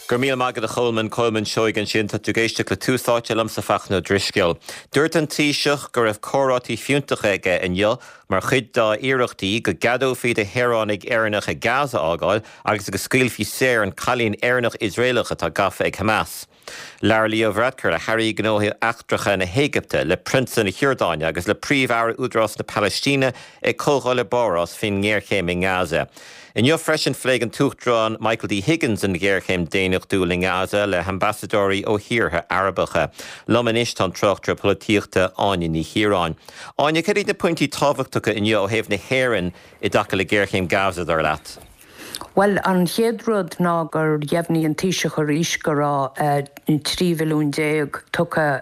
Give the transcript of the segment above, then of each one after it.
Go raibh míle maith agat a Cholmáin, Colmán Seoighe ansin. Tá tú ag éisteacht le Tús Áite liomsa Fachtna Ó Drisceoil. Dúirt an Taoiseach go raibh comhráití fiúntacha aige inniu mar chuid dá iarrachtaí go gceadófaí do shaoránaigh Éireannacha Gaza a fhágáil agus go scaoilfí saor an cailín Éireannach-Iosraelach atá gafa ag Hamas. Labhair Leo Varadkar le hAirí Gnóthaí Eachtracha na hÉigipte, le Prionsa na hIordáine agus le Príomh-Aire Údarás na Palaistíne ag comhdháil i bPáras faoin ngéarchéim i nGaza. Inniu freisin phléigh an tUachtarán Michael D Higgins an ghéarchéim daonnachtúil i nGaza le hambasadóirí ó thíortha Arabacha. Liom anois tá an tráchtaire polaitíochta Áine Ní Chiaráin. Áine, cad iad na pointí tábhachtacha inniu ó thaobh na hÉireann i dtaca le géarchéim Gaza, dar leat? Bhuel, an chéad rud ná gur dheimhnigh an Taoiseach arís go raibh 13 mhilliún tugtha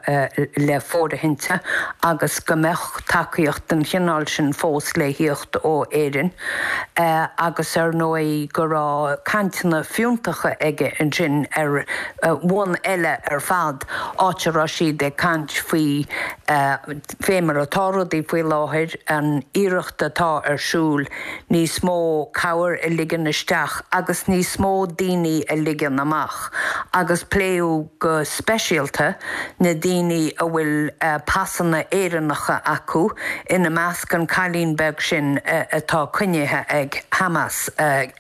le fóirithinte agus go mbeadh tacaíocht den chineál sin fós le thíocht ó Éirinn agus ar ndóigh go raibh cainteanna fiúntacha aige ansin ar bhonn eile ar fad, áit a raibh siad ag caint faoi fé mar atá rudaí faoi láthair, an iarracht atá ar siúl níos mó cabhair a ligean isteach agus níos mó daoine a ligean amach agus pléadh go speisialta na daoine a bhfuil pasanna Éireannacha acu, ina measc an cailín beag sin atá coinnithe ag Hamas,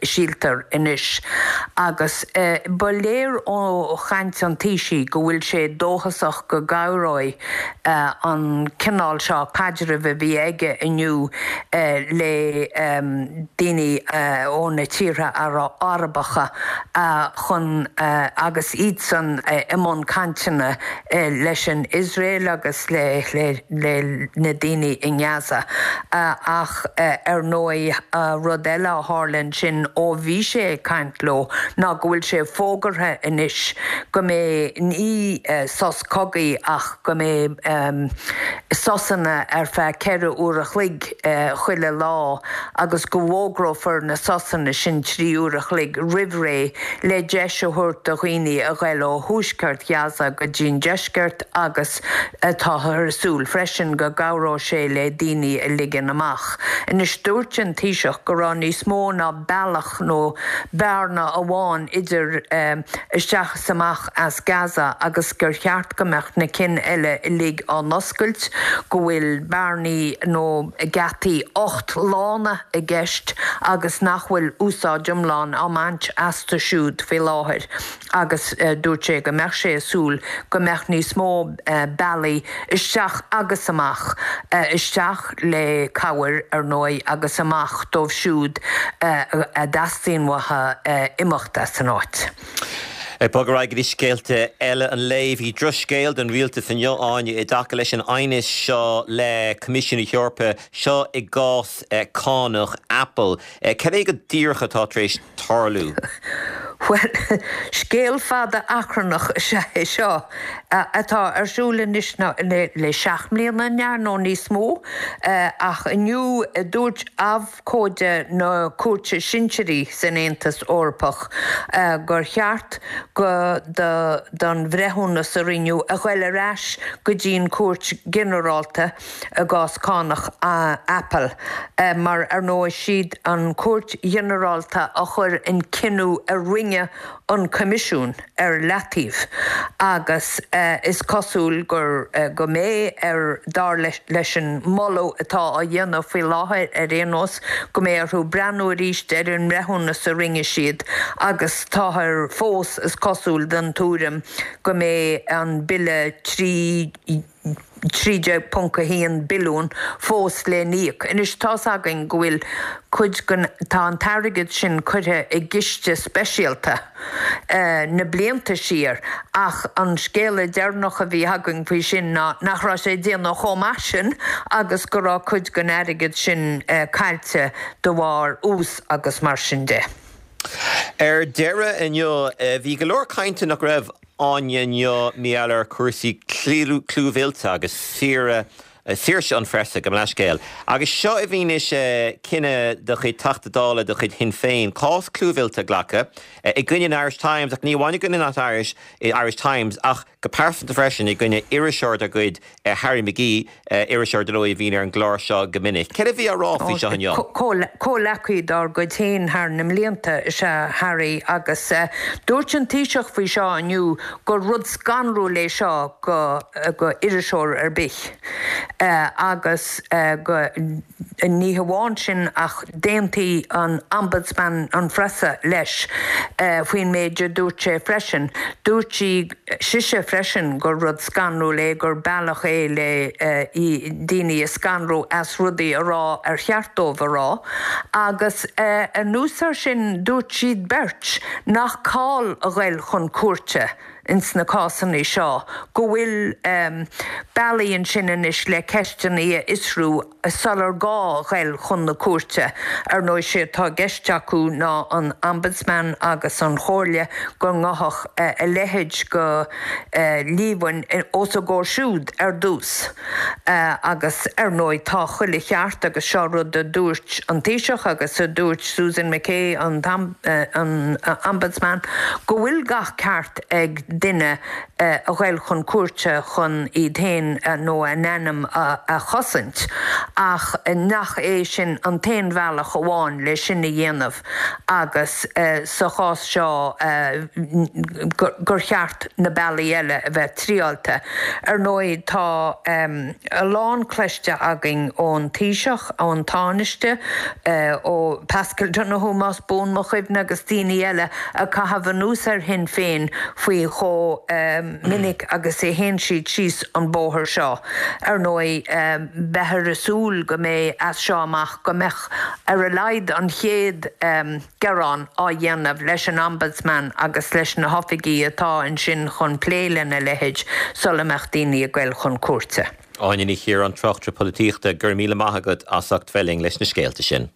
síltear anois. Agus ba léir ó chaint an Taoisigh go bhfuil sé dóchasach go gcabhróidh an cineál seo caidrimh a bhí aige inniu le daoine ó na tíortha Arabacha chun agus iadsan i mbun cainteanna leis an Iosrael agus le na daoine i nGaza. Ach ar ndóigh rud eile a tharla ansin ó bhí sé ag caint leo ná go bhfuil sé fógartha anois go mbeidh ní sos cogaidh ach go mbeidh sosanna ar feadh 4 uair a chloig chuile lá agus go bhfógrófar na sosanna sin 3 uair a chloig roimh ré le deis a thabhairt do dhaoine a ghoil ó thuaisceart Ghaza go dtí'n deisceart agus táthar ag súil freisin go gcabhróidh sé le daoine a ligean amach. Anois dúirt an Taoiseach go raibh níos mó ná bealach nó bearna amháin idir isteach is amach as Gaza agus gur cheart go mbeadh na cinn eile uilig á n-oscailt, go bhfuil bearnaí nó geataí 8 lána i gceist agus nach bhfuil úsáid iomlán á mbaint astu siúd faoi láthair agus dúirt sé go mbeadh sé ag súil go mbeadh níos mó bealaí isteach agus amach, isteach le cabhair ar ndóigh agus amach dóibh siúd a dteastaíonn uathu imeacht as an áit. Ag bogadh ar aghaidh go dtí scéalta eile an lae, bhí drochscéal don rialtas inniu, Áine, i dtaca leis an aighneas seo le Coimisiún na hEorpa, seo i gcás cánach Apple. Cad é go díreach atá tar éis tarlú? Bhuel, scéal fada achrannach is ea é seo, atá ar siúl anois le seacht mbliana, an ea, nó níos mó, ach inniu dúirt abhcóide na cúirte sinsearaí san Aontas Eorpach gur cheart go don bhreithiúnas a rinneadh a ghoil ar ais go dtí an Chúirt Ghinearálta i gcás cánach Apple mar ar ndóigh siad an Chúirt Ghinearálta a chuir an cinneadh a rinne an Coimisiún ar leataobh agus is cosúil gur go mbeidh ar, dar leis an moladh atá á dhéanamh faoi láthair ar aon nós, go mbeidh orthu breathnú arís ar an mbreithiúnas a rinne siad agus táthar fós, is cosúil, den tuairim go mbeidh an bille 3. 13.1 billiún fós le n-íoc. Anois tá's againn go bhfuil cuid den, tá an t-airgead sin curtha i gciste speisialta na blianta siar ach an scéala deireanach a bhí againn faoi sin ná nach raibh sé ag déanamh chomh maith sin agus go raibh cuid den airgead sin caillte de bharr ús agus mar sin de. Ar deireadh inniu, bhí go leor cainte nach raibh Áine inniu mar gheall ar chúrsaí clúmhillte agus saoire. Saoirse an Phreasa, gabh mo leithscéal. Agus seo i bhfianaise cinneadh de chuid Teachta Dála de chuid Shinn Féin cás clúmhillte a ghlacadh i gcoinne an Irish Times, ach ní amháin i gcoinne an Irish Irish Times ach go pearsanta freisin i gcoinne iriseoir dá gcuid, Harry McGee, iriseoir dar ndóigh a bhíonn ar an gclár seo go minic. Céard a bhí á rá faoi seo inniu? Comhleacaí dár gcuid féin thar na mblianta is ea Harry agus dúirt an Taoiseach faoi seo inniu gur rud scanrúil é seo go go iriseoir ar bith agus go ní hamháin sin ach d'aontaigh an Ombudsman an Phreasa leis faoin méid a dúirt sé freisin. Dúirt sí sise freisin gur rud scanrúil é, gur bealach é le daoine a scanrú as rudaí a rá ar cheart dóibh a rá agus anuas air sin dúirt siad beirt nach call a ghoil chun cúirte ins na cásanna seo, go bhfuil bealaí ansin anois le ceisteanna a fhiosrú sular gá a ghoil chun na cúirte. Ar ndóigh, sé atá i gceist acu ná an Ombudsman agus an Chomhairle go ngabhfadh a leithéid go líomhain os a gcomhair siúd ar dtús. Agus, ar ndóigh, tá chuile cheart, agus seo rud a dúirt an Taoiseach agus a dúirt Susan McKay, an tOmbudsman, go bhfuil gach ceart ag duine a ghoil chun cúirte chun iad féin nó a n-ainm a chosaint, ach nach é sin an t-aon bhealach amháin le sin a dhéanamh agus sa chás seo gur cheart na bealaí eile a bheith triáilte. Ar ndóigh, tá a lán cloiste againn ón Taoiseach, ón Tánaiste, ó Paschal Donohoe más buan mo chuimhne agus daoine eile ag caitheamh anuas ar Shinn Féin faoi chomh minic agus a théann siad síos an bóthar seo. Ar ndóigh, beifear ag súil go mbeidh as seo amach go mbeadh ar a laghad an chéad gearán á dhéanamh leis an Ombudsman agus leis na hoifigí atá ansin chun plé lena leithéid sula mbeadh daoine ag goil chun cúirte. Áine Ní Chiaráin, tráchtaire polaitíochta, go raibh míle maith agat as ucht bheith linn leis na scéalta sin.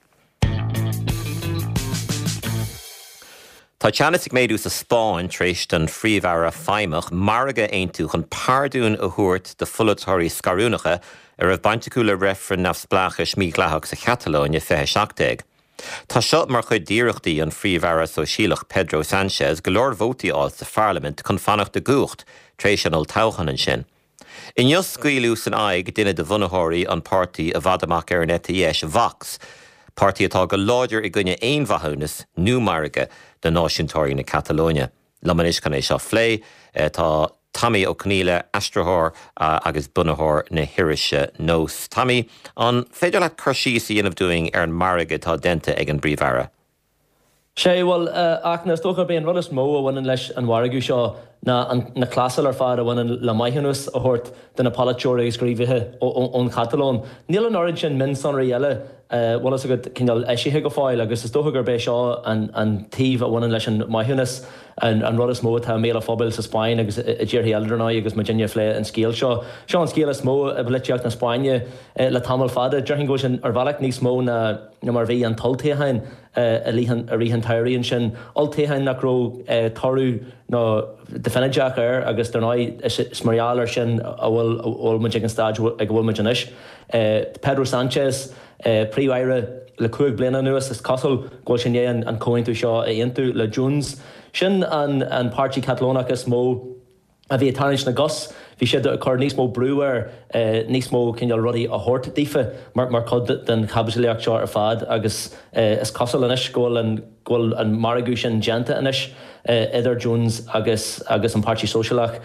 Tá teannas ag méadú sa Spáinn tar éis don Phríomh-Aire feidhmeach margadh a aontú chun pardún a thabhairt do pholaiteoirí scarúnacha a raibh baint acu le reifreann neamhspleáchais mídhleathach sa Chatalóin i 2017. Tá seo mar chuid d'iarrachtaí an Phríomh-Aire Sóisialach Pedro Sánchez go leor vótaí a fháil sa pharlaimint chun fanacht i gcumhacht tar éis an olltoghcháin ansin. Inniu scaoileadh san aghaidh duine de bhunaitheoirí an páirtí i bhfad amach ar an eite dheis, Vox, páirtí atá go láidir i gcoinne aon mhaithiúnas nó margadh do náisiúntóirí na Catalóine. Liom anois chun é seo a phlé tá Tomaí Ó Conghaile, aistritheoir agus bunaitheoir na hirise Nós. Tomaí, an féidir leat cur síos a dhéanamh dúinn ar an margadh atá déanta ag an bPríomh-Aire? Sea, bhuel, a Fhachtna, is dócha gurb é an rud is mó a bhaineann leis an mhargadh seo ná na clásail ar fad a bhaineann le maithiúnas a thabhairt do na polaiteoirí agus gníomhaithe ón Chatalóin. Níl an oiread sin mionsonraí eile, bhfuil fhios agat, cineál eisithe go fóill agus is dócha gurb é seo an taobh a bhaineann leis an maithiúnas an rud is mó atá i mbéal an phobail sa Spáinn agus i dtíortha eile, dar ndóigh, agus muidinne ag plé an scéil seo. Seo an scéal is mó i bpolaitíocht na Spáinne le tamall fada. Déarfainn go bhfuil sin ar bhealach níos mó ná mar a bhí an t-olltoghchán. i rith an tsamhraidh ansin, olltoghchán nach raibh toradh nó deifinideach air agus dar ndóigh is mar gheall air sin a bhfuil muid ag an staid ag a bhfuil muid anois. Pedro Sánchez, Príomh-Aire le 5 bliana anuas, is cosúil go bhfuil sé i ndiaidh an comhaontú seo a aontú le Junts. Sin an páirtí Catalónach is mó. a bhí ag tarraingt na gcos, bhí siad ag cur níos mó brú air níos mó cineál rudaí a thabhairt daofa mar chuid den chaibidlíocht seo ar fad agus is cosúil anois go bhfuil an go bhfuil an margadh sin déanta anois idir Junts agus agus an Páirtí Sóisialach.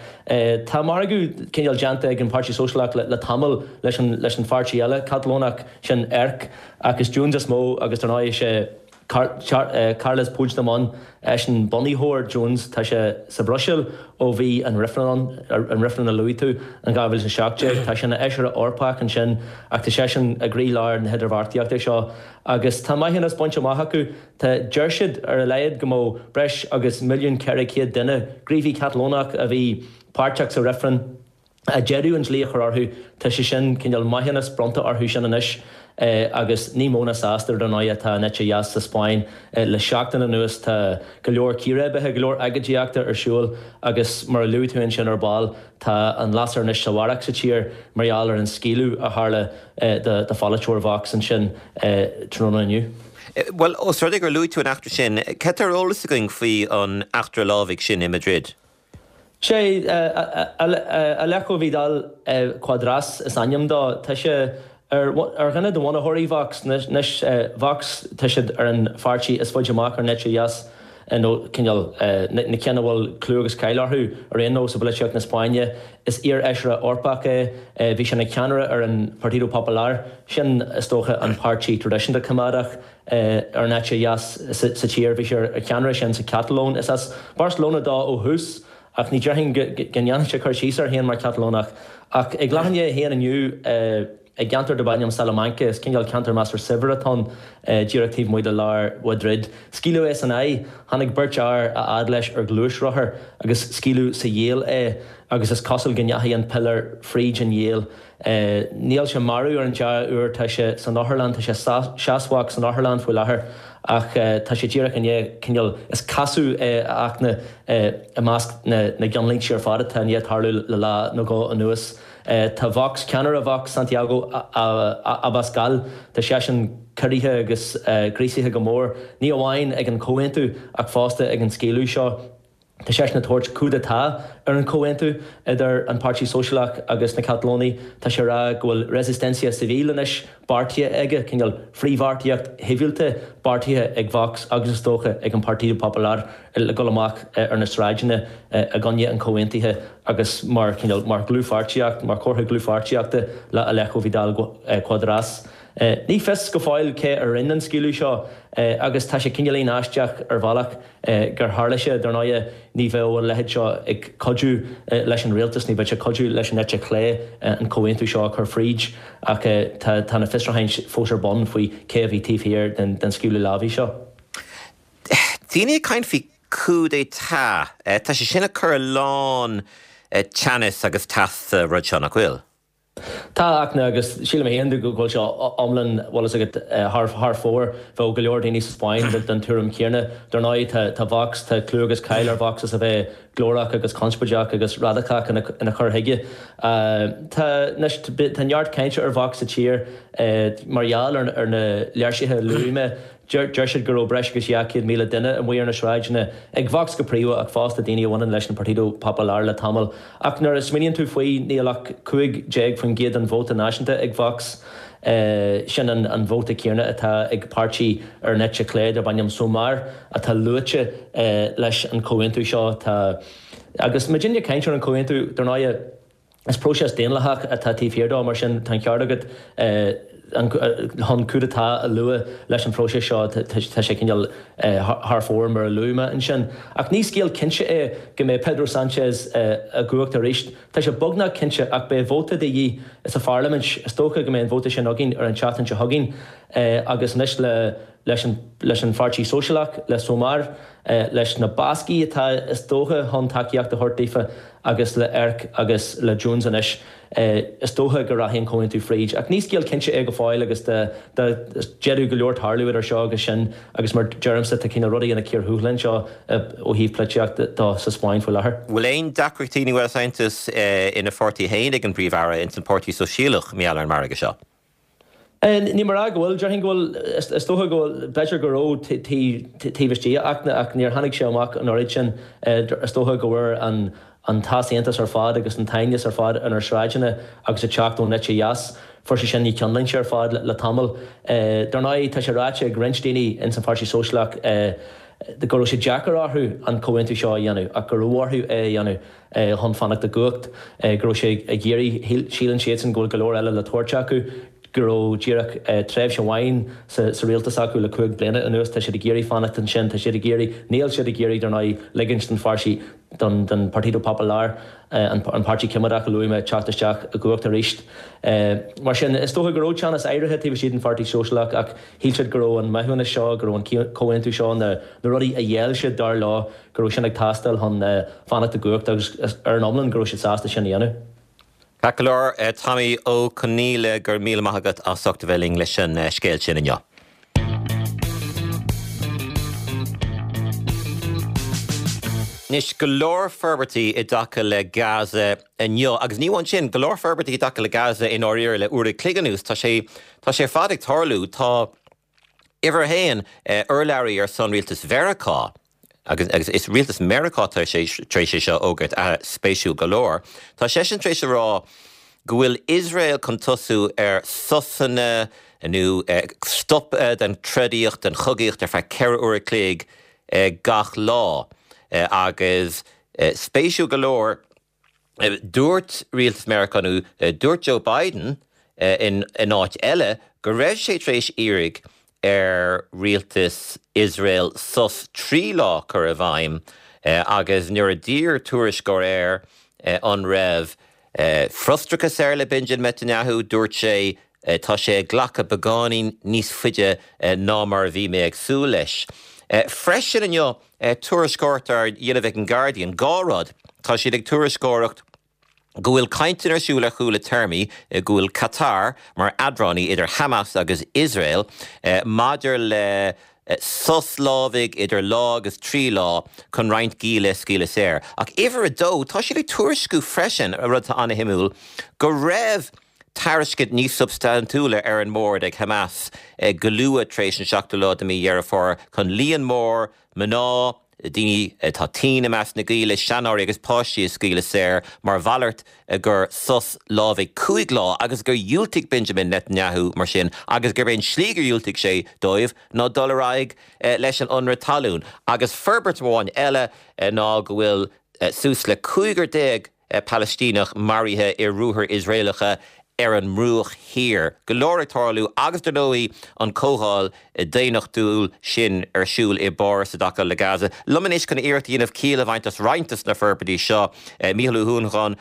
Tá margadh cineál déanta ag an Páirtí Sóisialach le le tamall leis an leis an pháirtí eile Catalónach sin ERC ach is Junts is mó agus dar ndóigh is é Carles Puigdemont, eisean bunaitheoir Junts, tá sé sa Bhruiséil ó bhí an reifreann ann, an reifreann a luaigh tú in 2017. Tá sé ina fheisire Eorpach ansin ach tá seisean i gcroílár na hidirbheartaíochta seo agus tá maithiúnas bainte amach acu. Tá, deir siad ar a laghad go mbeadh breis agus 1,400,000 duine, gníomhaí Catalónach a bhí páirteach sa reifreann, a d'fhéadfadh an dlí a chur orthu, tá sé sin, cineál maithiúnas bronnta orthu sin anois. Agus ní mó ná sásta, dar ndóigh, atá an eite dheas sa Spáinn. Le seachtain anuas tá go leor círéibithe, go leor agóidíochta ar siúl agus mar a luaigh tú ansin ar ball, tá an lasair anois sa bharrach sa tír mar gheall ar an scaoileadh a tharla do pholaiteoir Vox ansin tráthnóna inniu. Bhuel, os rud é gur luaigh tú an eachtra sin, cad tá ar eolas againn faoi an eachtra lámhaigh sin i Madrid? Sé, Alejo Vidal Quadras is ainm dó. Tá sé ar dhuine de bhunaitheoirí Vox. Anois, Vox, tá siad ar an pháirtí is faide amach ar an eite dheas, nó cineál, na cinn a bhfuil clú agus cáil orthu ar aon nós i bpolaitíocht na Spáinne. Is iar-fheisire Eorpach é. Bhí sé ina cheannaire ar an Partido Popular, sin, is dócha, an páirtí traidisiúnta coimeádach. ar an eite dheas sa tír. Bhí sé ar cheannaire sin sa Chatalóin. Is as Barcelona dó ó thús ach ní déarfainn go ndéanfadh sé cur síos air féin mar Chatalónach. Ach ag leath i ndiaidh a haon inniu i gceantar darb ainm Salamanca, is cineál ceantar measartha saibhir atá ann díreach taobh amuigh de lár Mhaidrid, scaoileadh é san aghaidh. Tháinig beirt fhear a fhad leis ar ghluaisrothar agus scaoileadh sa ghiall é agus is cosúil go ndeachaigh an piléar fríd an ghiall. Níl sé marbh ar an dea-uair, tá sé san otharlann, tá sé seasmhach san otharlann faoi láthair ach tá sé díreach i ndiaidh cineál, is casadh é a Fhachtna i measc na gceannlínte ar fad atá i ndiaidh tarlú le lá nó dhó anuas. Tá Vox, ceannaire Vox, Santiago Abascal, tá seisean corraithe agus gríosaithe go mór, ní amháin ag an chomhaontú ach fosta ag an scaoileadh seo. Tá seisean ag tabhairt coup d'état ar an chomhaontú idir an Páirtí Sóisialach agus na Catalónaigh. Tá sé ag rá go bhfuil resistencia civil anois beartaithe aige, cineál frithbheartaíocht shibhialta beartaithe ag Vox agus is dócha ag an Partido Popular le dul amach ar na sráideanna i gcoinne an chomhaontaithe agus mar chineál mar dhlúthpháirtíocht, mar chomhartha dlúthpháirtíochta le Alejo Vidal Quadras. Ní fios go fóill cé a rinne an scaoileadh seo agus tá sé cineáilín aisteach ar bhealach. gur tharla sé. Dar ndóigh, ní bheadh a leithéid seo ag cuidiú leis an rialtas, ní bheadh sé ag cuidiú leis an eite chlé an comhaontú seo a chur fríd ach tá na fiosrúcháin fós ar bun faoi cé a bhí taobh thiar den scaoileadh lámhaigh seo. Daoine ag caint faoi coup d'état, tá sé sin ag cur a lán teannas agus teas sa rud seo, nach bhfuil? Tá, a Fhachtna, agus sílim féin go bhfuil sé iomlán, bhfuil fhios agat, thar fóir. Bheadh go leor daoine sa Spáinn den tuairim chéanna. Dar ndóigh, tá Vox, tá clú agus cáil ar Vox as a bheith glórach agus conspóideach agus radacach ina chur chuige. Tá, anois, tá neart cainte ar Vox sa tír mar gheall ar na léirsithe a luaigh mé. Deir siad go raibh breis agus 200,000 duine amuigh ar na sráideanna, ag Vox go príomha ach fosta daoine a bhaineann leis an Partido Popular le tamall. Ach nuair a smaoiníonn tú faoi, níl ach 15% den vóta náisiúnta ag Vox. Sin an vóta céanna atá ag páirtí ar an eite chlé darb ainm Sumar atá luaite leis an chomhaontú seo. Tá agus muidinne ag caint ar an chomhaontú, dar ndóigh, Is próiseas daonlathach atá taobh thiar dó, mar sin tá an ceart agat chun coup d'état a lua leis an phróiseas seo, tá sé cineál thar fóir mar a luaigh mé ansin. Ach ní scéal cinnte é go mbeidh Pedro Sánchez i gcumhacht arís. Tá sé beagnach cinnte ach beidh vóta de dhíth sa pharlaimint, is dócha go mbeidh an vóta sin againn ar an tseachtain seo chugainn agus anois le leis an leis an Pháirtí Sóisialach, le Sumar, leis na Bascaigh atá is dócha chun tacaíocht a thabhairt daofa agus le ERC agus le Junts anois, is dócha go rachaidh an comhaontú fríd. Ach ní scéal cinnte é go fóill agus d'fhéadfadh go leor tarlú idir seo agus sin agus mar deirimse tá cineál rudaí ina cíor thuathail anseo ó thaobh polaitíochta de sa Spáinn faoi láthair. Bhfuil aon deacrachtaí nó easaontas ina pháirtí féin ag an bPríomh-Aire ins an Páirtí Sóisialach mar gheall ar an margadh seo? Ní mar a go bhfuil, déarfainn go bhfuil, is dócha go bhfuil, b'fhéidir go raibh taobh istigh, a Fhachtna, ach níor tháinig sé amach an oiread sin. Is dócha go bhfuair an t-easaontas ar fad agus an t-aighneas ar fad inár sráideanna agus ag teacht ón eite dheas, fuair sé sin na ceannlínte ar fad le tamall. Dar ndóigh, tá sé ráite ag roinnt daoine ins an Pháirtí Sóisialach go raibh sé deacair orthu an comhaontú seo a dhéanamh ach go raibh orthu é a dhéanamh. chun fanacht i gcumhacht, go raibh sé ag iarraidh, síleann siadsan go bhfuil go leor eile le tabhairt acu, go raibh díreach tréimhse amháin sa rialtas acu le 5 bliana anuas, tá siad ag iarraidh fanacht ansin, tá siad ag iarraidh, níl siad ag iarraidh, dar ndóigh, ligint don pháirtí, don don Partido Popular, an páirtí coimeádach a luaigh mé, teacht isteach i gcumhacht arís. Mar sin, is dócha go raibh teannas áirithe taobh istigh den Pháirtí Sóisialach ach shíl siad go raibh an maithiúnas seo, go raibh an comhaontú seo, na rudaí a gheall siad, dar leo, go raibh sin ag teastáil chun fanacht i gcumhacht agus ar an iomlán go raibh siad sásta sin a dhéanamh. Ceart go leor, Tommy Ó Conghaile, go raibh míle maith agat as ucht a bheith linn leis an scéal sin inniu. Anois, go leor forbairtí i dtaca le Gaza inniu, agus ní amháin sin, go leor forbairtí i dtaca le Gaza i ndáiríre le uair a chloig anuas. Tá sé, tá sé ar fad ag tarlú. Tá uimhir a haon, urlabhraí ar son rialtas Mheiriceá, agus is rialtas Meiriceá atá tar éis é seo a fhógairt, spéisiúil go leor, tá seisean tar éis a rá go bhfuil Iosrael chun tosú ar sosanna nó stop den trodaíocht, den chogaíocht ar feadh 4 uair a chloig gach lá. Agus spéisiúil go leor, Dúirt rialtas Meiriceá nó dúirt Joe Biden in áit eile go raibh sé tar éis iarraidh ar rialtas Iosrael sos 3 lá a chur i bhfeidhm agus nuair a d'iarr tuairisceoir air an raibh frustrachas air le Benjamin Netanyahu, dúirt sé tá sé ag glacadh beagáinín níos faide ná mar a bhí mé ag súil leis. Freisin inniu, Tuairisceoireacht á dhéanamh ag an Guardian, 2 rud, tá siad ag tuairisceoireacht go bhfuil cainteanna ar siúl ar chúla téarmaí, go bhfuil Qatar mar eadránaí idir Hamas agus Iosrael maidir le sos lámhaigh idir lá agus 3 lá chun roinnt gialla a scaoileadh saor. Ach uimhir a dó, tá siad ag tuairisciú freisin, rud atá an-shuimiúil, go raibh tairiscint níos substaintiúla ar an mbord ag Hamas go luath tar éis an seachtú lá de mhí Dheireadh Fómhair chun líon mór mná, daoine atá tinn i measc na gialla, seanóirí agus páistí a scaoileadh saor mar mhalairt gur sos lámhaigh 5 lá agus gur dhiúltaigh Benjamin Netanyahu mar sin agus gurb é an tslí gur dhiúltaigh sé dóibh ná dul ar aghaidh leis an ionradh talún. Agus forbairt amháin eile ná go bhfuil suas le 15 Palaistíneach maraithe i ruathair Iosraelacha ar an mBruach Thiar. Go leor ag tarlú agus dar ndóigh an comhdháil daonnachtúil sin ar siúl i bPáras i dtaca le Gaza. Liom anois chun iarracht a dhéanamh ciall a bhaint as roinnt de na forbairtí seo, Mícheál Ó hUanacháin,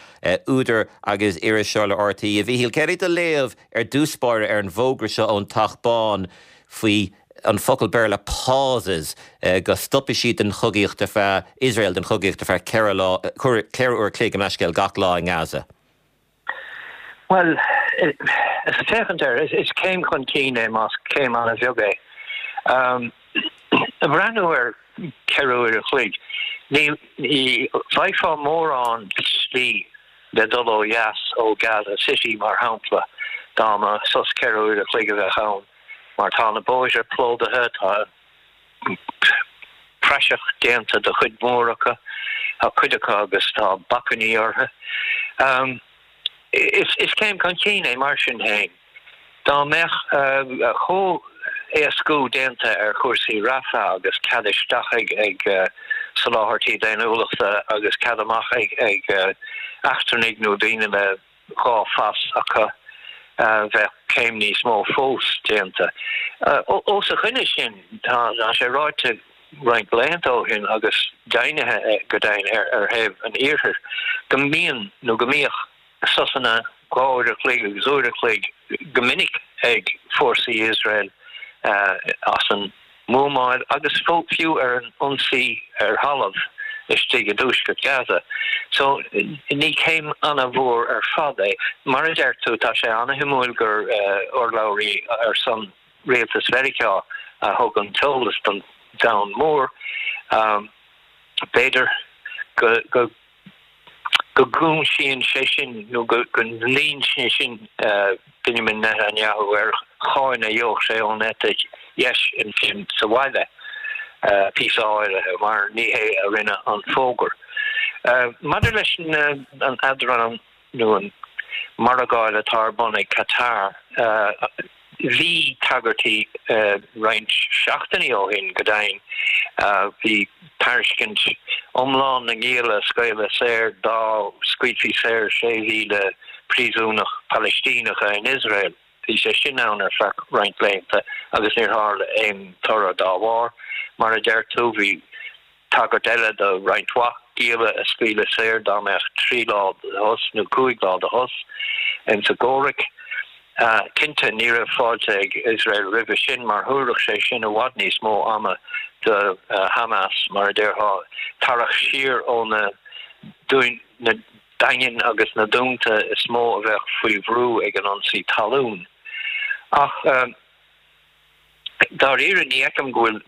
údar agus iriseoir le RTÉ. A Mhíchíl, céard é do léamh ar dtús báire ar an bhfógra seo ón Teach Bán faoi an focal Béarla pauses, go stopfaidh siad den chogaíocht ar feadh, Iosrael den chogaíocht ar feadh 4 lá, 4 uair a chloig gabh mo leithscéal, gach lá i nGaza. Bhuel, is féachaint air, is céim chun cinn é más céim an-bheag é. Ag breathnú ar 4 uair a chloig, ní bhfaighfeá mórán slí le dul ó dheas ó Gaza City, mar shampla, dá mba sos 4 uair a chloig a bheadh ann. Mar tá na bóithre plódaithe, tá praiseach déanta de chuid mhór acu, tá cuid acu agus tá bacainní orthu. Is céim chun cinn é mar sin féin. Dá mbeadh comhéascú déanta ar chúrsaí Rafah agus cead isteach ag soláthairtí daonnúlachta agus cead amach ag eachtrannaigh nó daoine le 2 phas acu, bheadh céim níos mó fós déanta. Os a choinne sin, tá sé ráite roinnt laethanta ó shin agus deimhnithe go deimhin ar thaobh an Iarthair go mbíonn nó go mbíodh sosanna 2 uair a chloig agus uair a chloig go minic ag fórsaí Iosrael as an mbuamáil agus fiú ar an ionsaí ar thalamh istigh i dtuaisceart Gaza. So, ní céim ana-mhór ar fad é. Mar a deir tú, tá sé ana-shuimiúil gur urlabhraí ar son rialtas Mheiriceá a thug an t-eolas don domhan mór. B'fhéidir go. go gcúisíonn sé sin nó go ndlíonn sé sin Benjamin Netanyahu ar cháin a gheobhadh sé ón eite dheis ansin sa bhaile, píosa áirithe, mar ní hé a rinne an fógra. Maidir leis an eadráin nó an margáil atá ar bun ag Qatar, Bhí tagairtí roinnt seachtainí ó shin, go deimhin. Bhí tairiscint iomlán na ngialla a scaoileadh saor dá scaoilfí saor 6,000 príosúnach Palaistíneacha in Iosrael. Bhí sé sin ann ar feadh roinnt laethanta agus níor tharla aon toradh dá bharr. Mar a deir tú, bhí Tagairt eile do roinnt mhaith gialla a scaoileadh saor dá mbeadh 3 lá de shos nó 5 lá de shos ins an gcomhrac. Cinnte, ní raibh fáilte ag Iosrael roimhe sin mar thabharfadh sé sin i bhfad níos mó ama do Hamas, mar a déarfá, tarrac siar ó na na. daingin agus na dúnta is mó a bheadh faoi bhrú ag an ionsaí talún. Ach dáiríre, ní fheicim go bhfuil,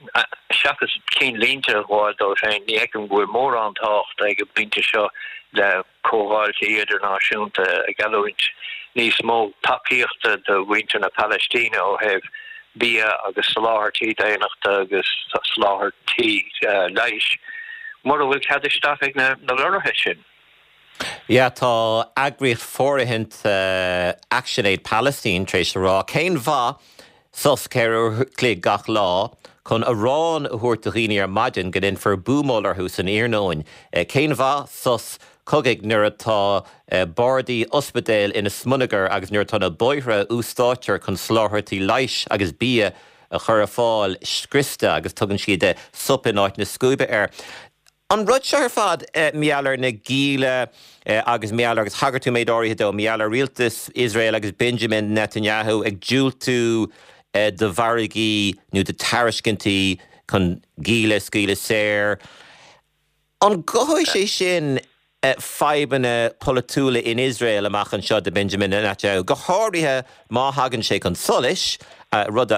seachas cinnlínte a ghabháil dóibh féin, ní fheicim go bhfuil mórán tábhachta ag an bpointe seo le comhdháiltí idirnáisiúnta ag geallúint níos mó tacaíochta do mhuintir na Palaistíne ó thaobh bia agus soláthairtí daonnachta agus soláthairtí leighis, mura bhfuil cead isteach ag na lorraithe sin. Yeah, tá eagraíocht fóirithinte Action Aid Palestine tar éis a rá cén mhaith sos 4 uair a chloig gach lá chun arán a thabhairt do dhaoine ar maidin go ndéanfar buamáil orthu san iarnóin? Cén mhaith sos cogaidh nuair atá bardaí ospidéil ina smionagar agus nuair atá na bóithre a úsáidtear chun soláthairtí leighis agus bia a chur ar fáil scriosta agus tugann siad sop in áit na scuaibe air? An rud seo ar fad, mar gheall ar na gialla agus mar gheall ar, agus thagair tú méid áirithe dó, mar gheall ar rialtas Iosrael agus Benjamin Netanyahu ag diúltú do mhargaí nó do tairiscintí chun gialla a scaoileadh saor. An gcothóidh sé sin fadhbanna polaitiúla in Iosrael amach anseo do Benjamin Netanyahu, go háirithe má thagann sé chun solais, rud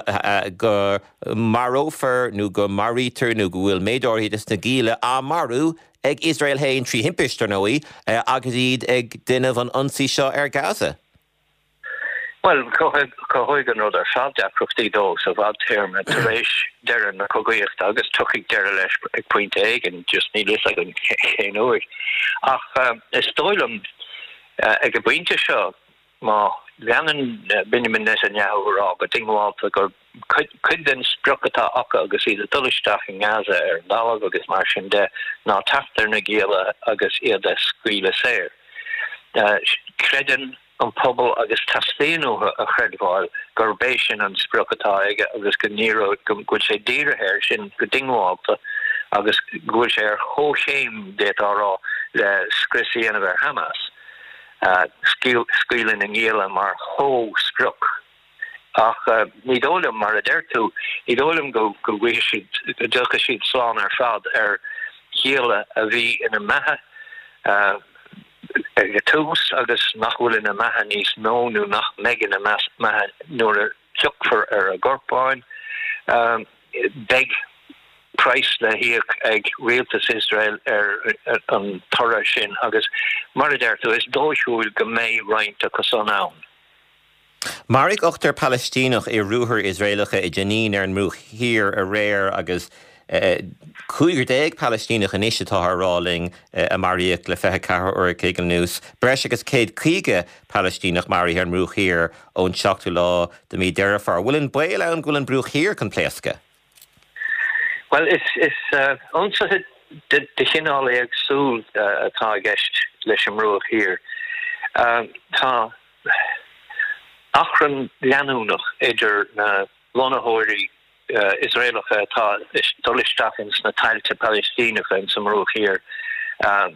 go marófar nó go maraítear nó go bhfuil méid áirithe de na gialla á marú ag Iosrael féin, trí thimpist, ar ndóigh, agus iad ag déanamh an ionsaí seo ar Gaza. Bhuel, cothóidh an rud ar fad deacrachtaí dó sa bhfadtéarma tar éis deireadh na cogaíochta agus tiocfaidh deireadh leis ag pointe éigin, just níl fhios againn cén uair. Ach is dóigh liom ag an bpointe seo, má leanann Benjamin Netanyahu a rá go diongbháilte gur cuid den sprioc atá acu agus iad ag dul isteach i nGaza ar an dtalamh agus mar sin de ná teacht ar na gialla agus iad a scaoileadh saor. Creideann an pobal agus teastaíonn uathu a chreidbheáil gurb é sin an sprioc atá aige agus go ndíreoidh, go bhfuil sé dírithe air sin go diongbháilte agus go bhfuil sé ar chomhchéim, d'fhéadfá a rá, le scrios a dhéanamh ar Hamas, scaoileadh na ngialla mar chomhsprioc. Ach ní dóigh liom, mar a deir tú, ní dóigh liom go bhfaighidh siad, go dtiocfaidh siad slán ar fad ar ghialla a bhí ina mbeatha ag an tús agus nach bhfuil ina mbeatha níos mó nó nach mbeidh ina mbeatha nuair a thiocfar ar a gcorpáin. Beidh praghas le híoc ag rialtas Iosrael ar an toradh sin agus, mar a deir tú, is dóichiúil go mbeidh roinnt acu san ann. Maraíodh ochtar Palaistíneach i ruathair Iosraelacha i Jenin ar an mBruach Thiar aréir agus 15 Palaistíneach anois atáthar a rá linn a maraíodh le 24 uair a chloig anuas. Breis agus 150 Palaistíneach maraithe ar an mBruach Thiar ón seachtú lá de mhí Deireadh Fómhair. Bhfuil an baol ann go bhfuil an Bruach Thiar chun pléascadh? Bhuel, is ionsaithe de chineál éagsúil atá i gceist leis an mBruach Thiar. Tá. Achrann leanúnach idir na lonnaitheoirí Iosraelacha atá ag dul isteach ins na tailte Palaistíneacha ins an mBruach Thiar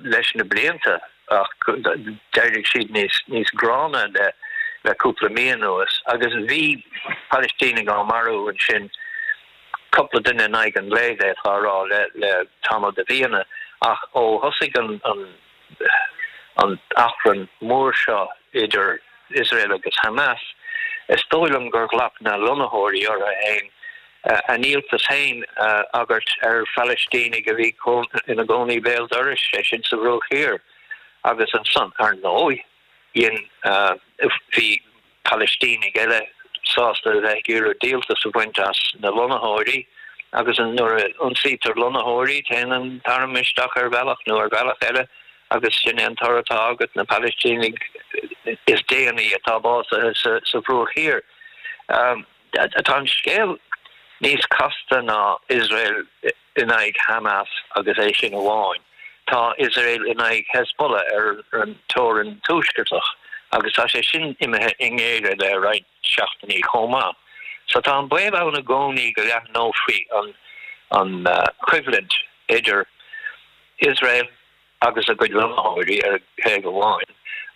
leis na blianta ach d'éirigh siad níos gránna le cúpla mí anuas agus bhí Palaistínigh á marú ansin, cúpla duine in aghaidh an lae, d'fhéadfá a rá, le tamall de mhíonna ach ó thosaigh an an achrann mór seo idir Iosrael agus Hamas, is dóigh liom gur ghlac na lonnaitheoirí orthu féin a ndíoltas féin a agairt ar Phalaistínigh a bhí ina gcónaí béal dorais, sé sin sa Bhruach Thiar. Agus ansan, ar ndóigh, dhein, bhí Palaistínigh eile sásta a bheith ag iarraidh díoltas a bhaint as na lonnaitheoirí agus nuair a ionsaítear lonnaitheoirí téann an t-arm isteach ar bhealach nó ar bhealach eile agus sin é an toradh atá agat, na Palaistínigh is déanaí atá básaithe sa Bhruach Thiar. Tá an scéal níos casta ná Iosrael in aghaidh Hamas agus é sin amháin. Tá Iosrael in aghaidh Hezbollah ar an teorainn tuaisceartach agus tá sé sin imithe i ngéire le roinnt seachtainí chomh maith. So tá an baol ann i gcónaí go leathnófaí an choimhlint idir Iosrael agus a gcuid lonnaitheoirí ar thaobh amháin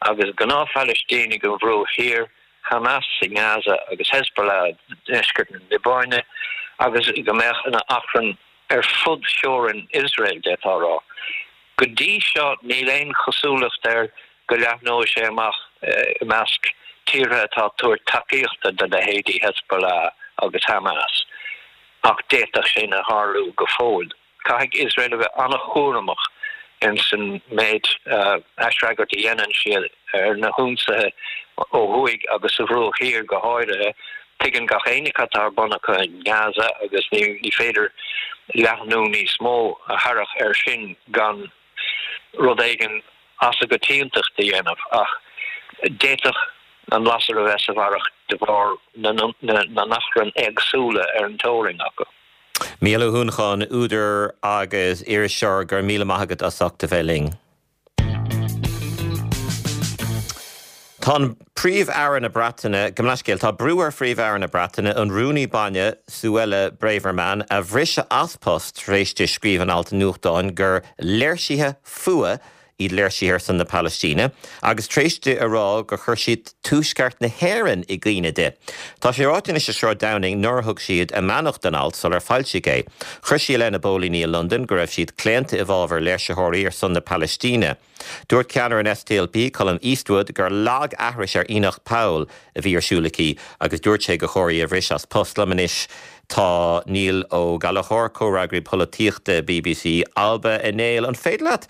agus gnáth-Phalaistínigh an Bhruaigh Thiar, Hamas i nGaza agus Hezbollah i ndeisceart na Liobáine agus go mbeadh ina achrann ar fud theorainn Iosrael, d'fhéadfá a rá. Go dtí seo níl aon chosúlacht air. go leathnóidh sé amach i measc tíortha atá ag tabhairt tacaíochta do leithéidí Hezbollah agus Hamas, ach d'fhéadfadh sin a tharlú go fóill. Caithfidh Iosrael a bheith an-chúramach ins an méid aisfhreagairt a dhéanann siad ar na hionsaithe ó thuaidh agus sa Bhruach Thiar go háirithe. Tuigeann gach éinne cad tá ar bun acu i nGaza agus ní féidir leathnú níos mó a tharrac air sin gan rud éigin as an gcoitiantacht a dhéanamh. Ach d'fhéadfadh an lasair a bheith sa bharrach de bharr na n-achrann éagsúla ar an teorainn acu. Mícheál Ó hUanacháin, údar agus iriseoir, go raibh míle maith agat as ucht a bheith linn. Tá an Príomh-Aire na Breataine, gabh mo leithscéal, tá brú ar Phríomh-Aire na Breataine an Rúnaí Baile, Suella Braverman, a bhriseadh as post tar éis di scríobh in alt nuachtáin gur léirsithe fuath iad léirsithe ar son na Palaistíne, agus tar éis di a rá gur chuir siad Tuaisceart na hÉireann i gcuimhne di. Tá sé ráite anois ag Sráid Downing nár thug siad a mbeannacht don alt sular foilsíodh é. Chuir sí i leith na bpóilíní i Londain go raibh siad claonta i bhfabhar léirsitheoirí ar son na Palaistíne. Dúirt ceannaire an SDLP, Colum Eastwood, gur lag-aithris ar Enoch Powell a bhí ar siúl aici agus dúirt sé gur chóir í a bhriseadh as post. Liom anois tá Niall Ó Gallchóir, comhfhreagraí polaitíochta bbc Alba. A Néill, an féidir leat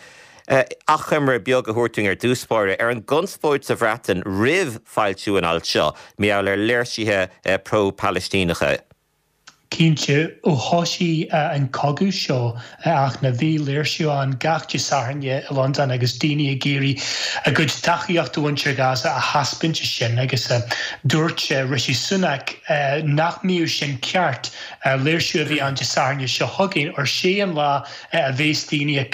achoimre beag a thabhairt dúinn ar dtús báire ar an gconspóid sa Bhreatain roimh foilsiú an ailt seo, mar gheall ar léirsithe pro-Palaistíneacha? Cinnte, ó thosaigh an cogadh seo ach na bhí léirsiú ann gach Dé Sathairn i Londain agus daoine ag iarraidh a gcuid tacaíocht do mhuintir Ghaza a thaispeáint sin agus dúirt Rishi Sunak nach mbíodh sin ceart. Léirsiú a bhí ann Dé Sathairn seo chugainn óir sé an lá a bhéas daoine ag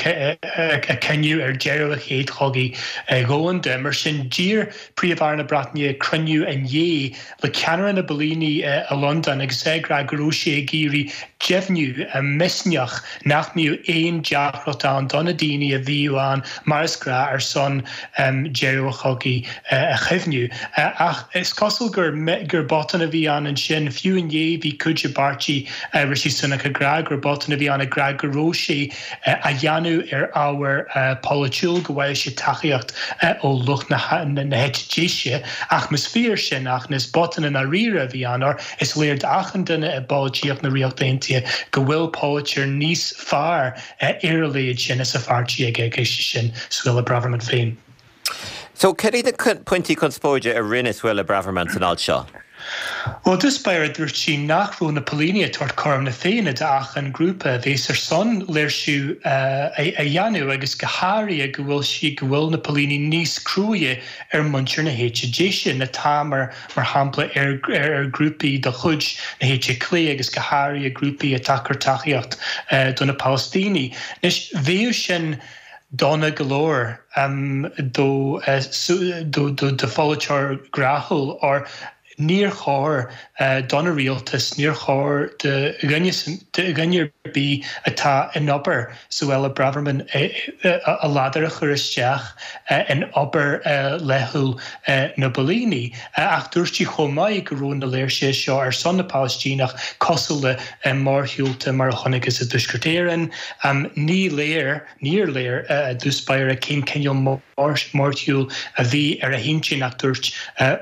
cuimhniú ar deireadh an chéad chogaidh dhomhanda. Mar sin d'iarr Príomh-Aire na Breataine cruinniú inné le ceannaire na bpóilíní i Londain agus é ag rá go raibh sé ag iarraidh deimhniú, misneach nach mbíodh aon deacracht ann do na daoine a bhíodh ann mar is gnáth ar son deireadh an chogaidh a chuimhniú. Ach is cosúil gur gur botún a bhí ann ansin. Fiú inné bhí cuid de pháirtí Rishi Sunak ag rá gur botún a bhí ann ag rá go raibh sé á dhéanamh ar ábhar polaitiúil, go bhfaigheadh sé tacaíocht ó lucht na heite deise. Ach más fíor sin, ach is botún i ndáiríre a bhí ann, óir is léir d'achan duine i bpolaitíocht na Ríochta Aontaithe go bhfuil polaiteoir níos fearr ar a leithéid sin as a pháirtí aige, agus sin Suella Braverman féin. So, cad iad na pointí conspóide a rinne Suella Braverman san alt seo? Bhuel, i dtús báire dúirt sí nach raibh na póilíní ag tabhairt cothrom na Féinne d'achan grúpa a bhéas ar son léirsiú a dhéanamh agus go háirithe go bhfuil sí go bhfuil na póilíní níos cruaidhe ar muintir na héite deise ná atá mar mar shampla ar ar grúpaí de chuid na héite clé agus go háirithe grúpaí atá ag cur tacaíocht do na Palaistínigh. Anois bheadh sin dona go leor do do pholaiteoir gnáthúil óir níor chóir don rialtas, níor chóir do dhuine dhuine ar bith atá in obair Suella Braverman a ladar a chur isteach in obair laethúil na bpóilíní. Ach dúirt sí chomh maith go raibh na léirsithe seo ar son na Palaistíneach cosúil le mórshiúlta mar a chonacthas i dTuaisceart Éireann. Ní léir, níor léir i dtús báire cén cineál mórshiúil a bhí ar a hintinn ach dúirt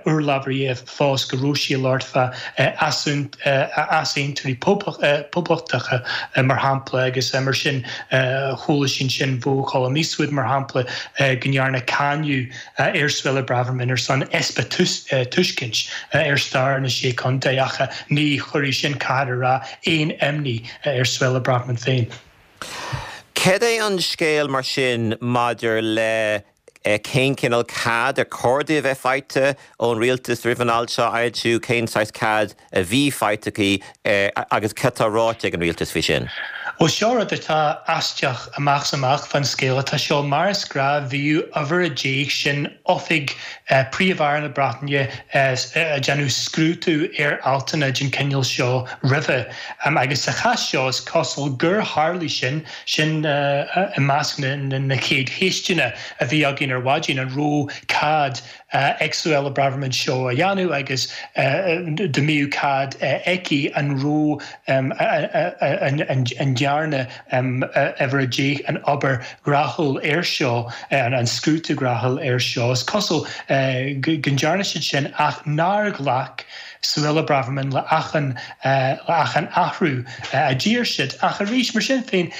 urlabhraí fós go raibh sí ag labhairt fá easaontóirí poblachtacha mar shampla agus mar sin chuala sí ansin ó Cholum Eastwood mar shampla go ndearna cáineadh ar Suella Braverman ar son easpa tuiscint ar stair na Sé Chontae ach ní chuirfidh sin, caithfear a rá, aon imní ar Suella Braverman féin. Cad é an scéal mar sin maidir le cén cineál cead ar chóir di a bheith faighte ón rialtas roimh an alt seo a fhoilsiú, cén saghas cead a bhí faighte aici agus cad tá ráite ag an rialtas faoi sin? Bhuel, seo rud atá aisteach amach is amach fán scéal atá seo. Mar is gnáth, bhíodh uimhir a deich, sin oifig Príomh-Aire na Breataine, ag déanamh scrúdú ar altanna den chineál seo roimhe. Agus sa chás seo, is cosúil gur tharlaigh sin, sin i measc na chéad cheisteanna a bhí againn ar maidin, an raibh cead. ag Suella Braverman seo a dhéanamh agus dá mbeadh cead aici an raibh an ndearna uimhir 10 an obair ghnaithiúil air seo, an scrúdú gnaithiúil air seo. Is cosúil go ndearna siad sin ach nár ghlac Suella Braverman le achan le achan athrú a d'iarr siad. Ach arís, mar sin féin,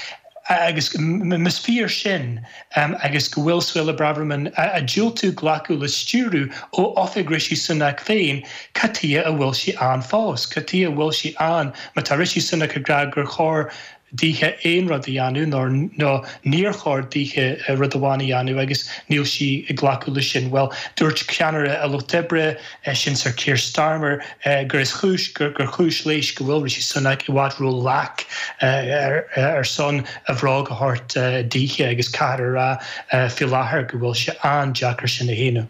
agus más fíor sin agus go bhfuil Suella Braverman ag diúltú glacadh le stiúradh ó oifig Rishi Sunak féin, cad tuighe a bhfuil sí ann fós? Cad tuighe a bhfuil sí ann má tá Rishi Sunak ag rá gur chóir dithe aon rud a dhéanamh nó nó níor chóir dithe rud amháin a dhéanamh agus níl sí ag glacadh leis sin? Bhuel, dúirt ceannaire an Lucht Oibre, sin Sir Keir Starmer, gur is chúis, gur chúis léis go bhfuil Rishi Sunak i bhfad ró-lac ar son a bhróg a thabhairt dithe agus caithfear a rá faoi láthair go bhfuil sé an-deacair sin a shéanadh.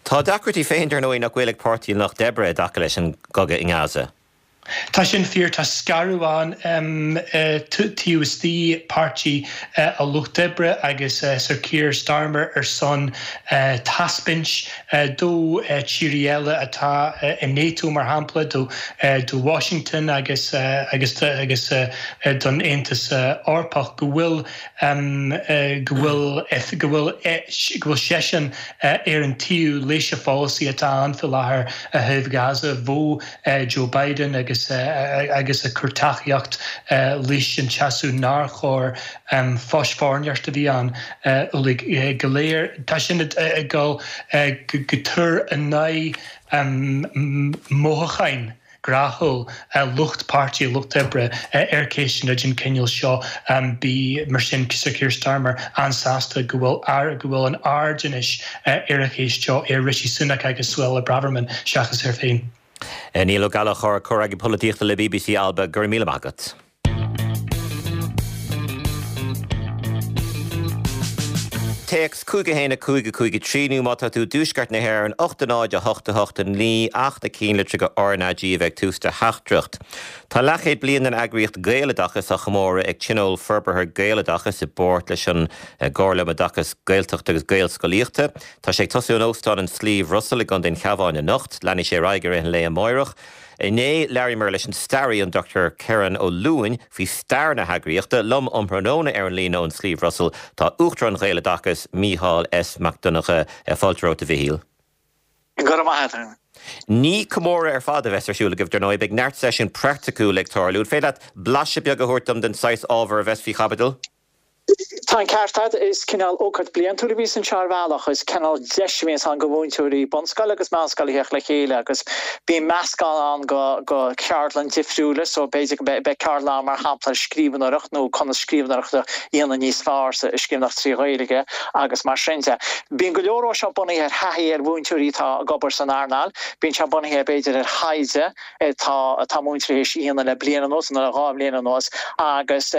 Tá a deacrachtaí féin, dar ndóigh, nach bhfuil ag Páirtí an Lucht Oibre i dtaca leis an gcogadh i nGaza. Tá sin fíor, tá scaradh ann taobh istigh Páirtí an Lucht Oibre agus Sir Keir Starmer ar son taispeáint do tíortha eile atá i NATO mar shampla, do Washington agus agus agus don Aontas Eorpach go bhfuil go bhfuil go bhfuil go bhfuil seisean ar an taobh leis an pholasaí atá ann faoi láthair i dtaobh Gaza. Bheadh Joe Biden agus agus ag cur tacaíocht leis an seasamh nár chóir fosfoirneoireacht a bhí ann uilig go léir. Tá sin ag dul go tur in aghaidh mothúcháin ghnaithiúil lucht páirtí lucht oibre ar ceisteanna den chineál seo. Bí mar sin Sir Keir Starmer an-sásta go bhfuil go bhfuil an aird anois ar an cheist seo ar Rishi Sunak agus Suella Braverman seachas air féin. Niall Ó Gallchóir, Comhfhreagraí Polaitíochta le bbc Alba, go raibh míle maith agat. Téacs 5 1 5 5 3 nó má tá tú i dtuaisceart na hÉireann 8 0 8 8 9 ach na cinnlitreacha RnaG a bheith ag tús do theachtaireacht. Tá leathchéad bliain den eagraíocht Gaeloideachas á chomóradh ag Tionól Forbartha Gaeloideachas i bpáirt leis an gComhairle um Oideachas Gaeltachta agus Gaelscolaíochta. Tá sé ag tosú in Óstán an Sliabh Russell i gContae an Chabháin anocht. Leanfaidh sé ar aghaidh i rith an lae amáireach. Inné, labhraíomar leis an staraí, an Dr Kerron Ó Luain, faoi stair na heagraíochta. Liom um thráthnóna ar an líne ón Sliabh Russell tá Uachtarán Ghaeloideachas, Mícheál S. Mac Donncha. Fáilte romhat, a Mhichíl. Go raibh maith agat. Ní comóradh ar fad a bheas ar siúl agaibh, dar ndóigh. Beidh neart seisiún praiticiúil ag tarlú. An féidir leat blaiseadh beag a thabhairt dom den saghas ábhar a bheas faoi chaibidil? Tá an ceart agat, is cineál ócáid bliantúil a bhíos anseo ar bhealach, is cineál deis a bhíonns ann go mhúinteoirí bunscoile agus meánscoile a theacht le chéile agus bíonn meascán ann go go ceardlann difriúla so b'fhéidir go mbeidh ceardlann ann mar shampla ar scríbhneoireacht nó conas scríbhneoireacht a dhéanamh níos fearr sa scríbhneoireacht trí Ghaeilge agus mar sin de. Bíonn go leor ó seo bunaithe ar thaithí ar mhúinteoirí atá ag obair san earnáil, bíonn sé bunaithe b'fhéidir ar thaighde, atá atá múinteoirí théis a dhéanamh le bliain anuas nó le 2 bhliain anuas agus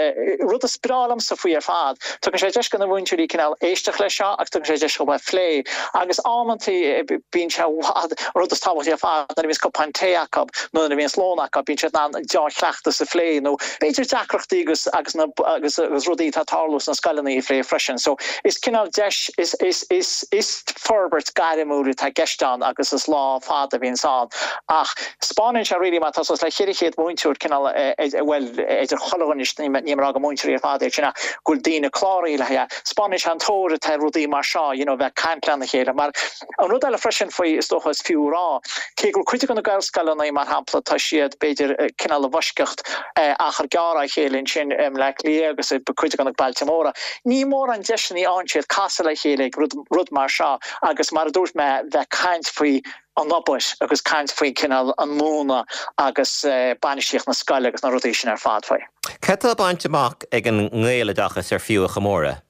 rud is breá liomsa faoi ar fad, tugann sé deis do na múinteoirí cineál éisteacht leis seo agus tugann sé deis dóibh a phlé agus amantaí bíonn sé i bhfad, an rud is tábhachtaí ar fad nuair a bhíonns cupán tae acu nó nuair a bhíonns lón acu bíonn siad in ann deá-chleachtas a phlé nó b'fhéidir deacrachtaí agus agus na agus agus rudaí atá ag tarlú sna scoileanna a phlé freisin. So is cineál deis is is is is forbairt gairmiúil atá i gceist ann agus is lá fada a bhíonns ann. Ach 'speánann sé really má tá suas le 400 múinteoir cineál bhuel idir chuile dhuine níl mé ag rá gur múinteoirí ar fad iad sin ach go bhfuil daoine cláraithe le haghaidh 'speánann sé an tóir atá ar rudaí mar seo you know bheith ag caint lena chéile mar an rud eile freisin faoi is dócha is fiú a rá cé go bhfuil cuid de na Gaelscoileanna mar shampla tá siad b'fhéidir cineál i bhfoisceacht achar gearr á chéile ansin i mBleá Cliath agus i gcuid de na bailte móra ní mórán deiseanna a fhaigheann siad casadh le chéile ag rud rud mar seo agus mar a dúirt mé bheith ag caint faoi an obair agus caint faoi cineál an múineadh agus bainistíocht na scoile agus na rudaí sin ar fad faoi. Cad tá bainte amach ag an nGaeloideachas ar fiú a chomóradh?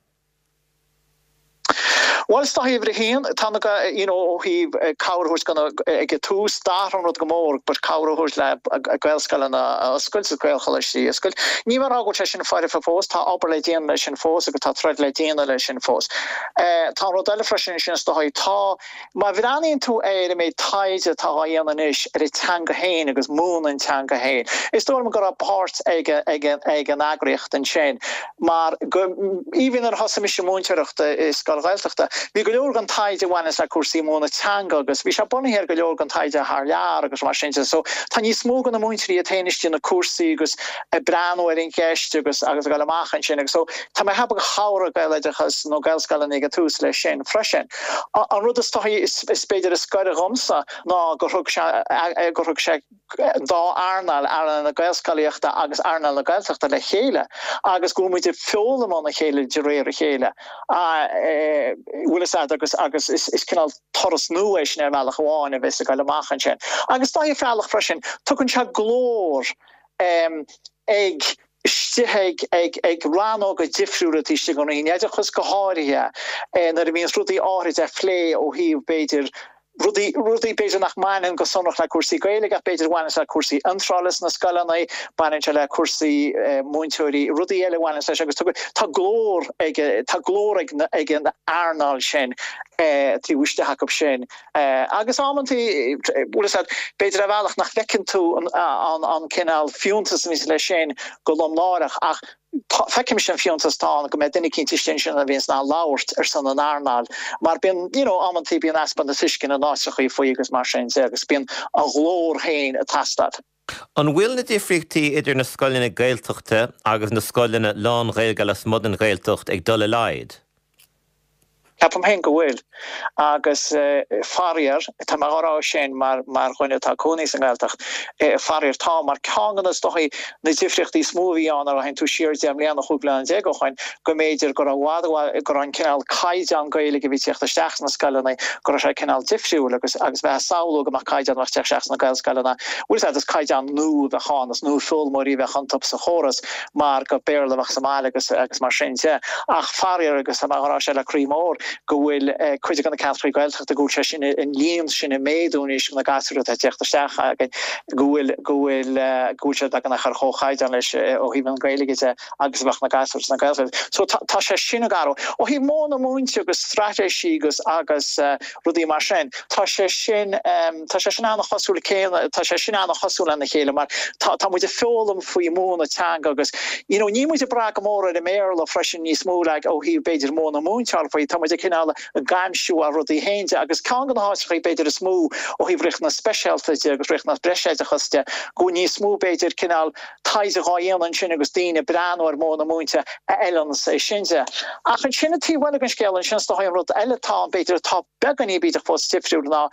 Bhuel, is dóigh uimhir a haon, tá na, you know, ó thaobh cabhair a thabhairt do na, ag an tús, d'athraigh an rud go mór, but cabhair a thabhairt le Gaelscoileanna a oscailt agus Gaelcholáistí a oscailt. Ní mé ag rá go bhfuil sé sin foirfe fós, tá obair le déanamh leis sin fós agus tá troid le déanamh leis sin fós. Tá an rud eile freisin sin is dóigh, tá, Má bhreathnaíonn tú ar an méid taighde atá á dhéanamh anois ar an teanga féin agus múineadh an teanga féin, is dóigh liom go raibh páirt ag ag an eagraíocht ansin mar go, even nuair a thosaigh mise múinteoireacht i scoil Ghaeltachta. Bhí go leor den taighde a bhaineas le cúrsaí múineadh teanga agus bhí sé bunaithe ar go leor den taighde thar lear agus mar sin de. So tá níos mó de na múinteoirí iad féin istigh na cúrsaí agus ag breathnú ar an cheist agus agus ag dul amach ansin agus so tá mé ag ceapadh gur chabhraigh Gaeloideachas nó Gaelscoileanna ag an tús leis sin freisin. An rud is dóichí is b'fhéidir is gaire dhomsa ná gur thug sé gur thug sé an dá earnáil, earnáil na Gaelscolaíochta agus earnáil na Gaeltachta le chéile agus go bhfuil muid ag foghlaim óna chéile de réir a chéile. Bhfuil fhios a'd agus agus is is cineál turas nua é sin ar bhealach amháin a bheas ag dul amach ansin. Agus dá bhealach freisin, tugann sé glór ag istigh ag ag ag rannóga difriúla taobh istigh den Roinn Oideachais go háirithe nuair a bhíonns rudaí áithrid á phlé ó thaobh b'fhéidir rudaí rudaí b'fhéidir nach mbaineann go sonrach le cúrsaí Gaeilge ach b'fhéidir a bhaineanns le cúrsaí iontrála sna scoileanna, baineann sé le cúrsaí múinteoirí, rudaí eile a bhaineanns leis agus tá glór ag tá glór ag ag an earnáil sin taobh istigh acu sin. Agus amantaí, bhfuil fhios a'd, b'fhéidir ar bhealach nach bhfeiceann tú an cineál fiúntas a bhíonns leis sin go lomnáireach ach feicimse an fiúntas atá ann go mbeidh duine eicínt istigh ansin a bhíonns in ann labhairt ar son an earnáil mar bíonn, you know, amantaí bíonn easpa na tuisceana in áiteachaí faoi agus mar sin de agus bíonn a ghlór féin ag teastáil. An bhfuil na difríochtaí idir na scoileanna Gaeltachta agus na scoileanna lán-Ghaeilge lasmuigh den Ghaeltacht ag dul i laghad? Ceapaim féin go bhfuil. Agus faraor, tá mé á rá sin mar mar dhuine atá ag cónaí sa nGaeltacht, faraor tá, mar ceann de na, is dóichí, na difríochtaí is mó a bhí ann nuair a théann tú siar 10 mbliana, 15 bliana ó shoin, go mb'fhéidir go raibh i bhfad, go raibh an cineál caighdeán Gaeilge a bhí ag tíocht isteach sna scoileanna, go raibh sé cineál difriúil agus agus bheith ag samhlú go mbeadh caighdeán a bheadh ag tíocht isteach sna Gaelscoileanna, bhfuil fhios a'd, is caighdeán nua a bheadh ann, is nua-fhoghlaimeoirí a bheadh iontu sa chóras mar gur Béarla a bheadh sa mbaile agus agus mar sin de. Ach faraor, agus tá mé á rá seo le croí mór, go bhfuil cuid de na ceantracha Gaeltachta go bhfuil sé sin, an líon sin ag méadú anois na gasúir atá ag tíocht isteach againn, go bhfuil, go bhfuil, go bhfuil siad beagnach ar chomhchaighdeán leis ó thaobh an Ghaeilge de agus a bheadh na gasúir sna Gaelscoileanna. So tá, tá sé sin ag athrú. Ó thaobh modhanna múinte agus straitéisí agus, agus rudaí mar sin, tá sé sin, tá sé sin an-chosúil céanna, tá sé sin an-chosúil lena chéile mar tá, tá muid ag foghlaim faoi mhúineadh teanga agus, you know, níl muid ag brath go mór ar an mBéarla freisin níos mó like ó thaobh b'fhéidir modhanna múinteáil faoi, tá muid ag cineál ag aimsiú ár rudaí féin de agus ceann de na háiteachaí b'fhéidir is mó ó thaobh riachtanas speisialta de agus riachtanas breisoideachas de go bhfuil níos mó b'fhéidir cineál taighde dhá dhéanamh ansin agus daoine ag breathnú ar mhodhanna múinte a fheileanns é sin de. Ach ansin an taobh eile den scéal ansin is dóigh an rud eile atá ann b'fhéidir atá beagáinín b'fhéidir fós difriúil ná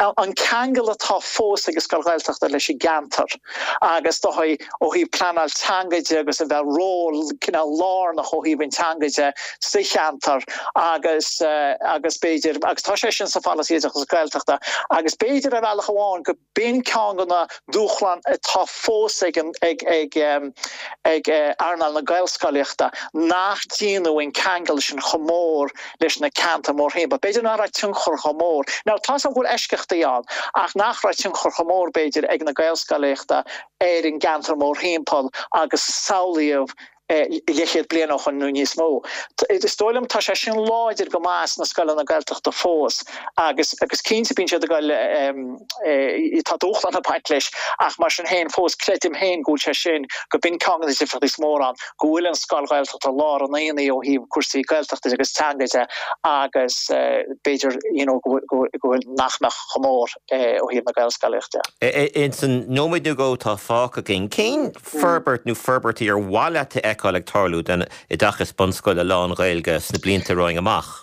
an ceangal atá fós ag an scoil Ghaeltachta leis an gceantar agus is dóigh ó thaobh pleanáil teanga de agus a bheith ról cineál lárnach ó thaobh an teanga de sa cheantar agus agus b'fhéidir agus tá sé sin sa pholasaí oideachas Gaeltachta agus b'fhéidir ar bhealach amháin go B'in ceann de na dúshláin atá fós ag ag earnáil na Gaelscolaíochta, nach déanadh an ceangal sin chomh mór leis na ceantair mórthimpeall. B'fhéidir nach raibh tionchar chomh mór, now tá's agam go bhfuil eisceachtaí ann, ach nach raibh tionchar chomh mór b'fhéidir ag na Gaelscolaíochta ar an gceantar mórthimpeall agus samhlaíodh leathchéad bliain ó shoin nó níos mó. Is dóigh liom tá sé sin láidir go maith sna scoileanna Gaeltachta fós agus agus cinnte bíonn siad ag dul tá dúshlán ag baint leis ach mar sin féin fós creidim féin go bhfuil sé sin go b'in ceann de na difríochtaí is mór ann go bhfuil an scoil Ghaeltachta lár an aonaigh ó thaobh cúrsaí Gaeltachta agus teanga de agus b'fhéidir you know go bhfuil nach mbeadh chomh mór ó thaobh na Gaelscolaíochta de. Ins an nóiméad nó dhó atá fágtha againn, cén forbairt nó forbairtí ar mhaith leat a fheiceáil ag tarlú don oideachas bunscoile lán-Ghaeilge sna blianta romhainn amach?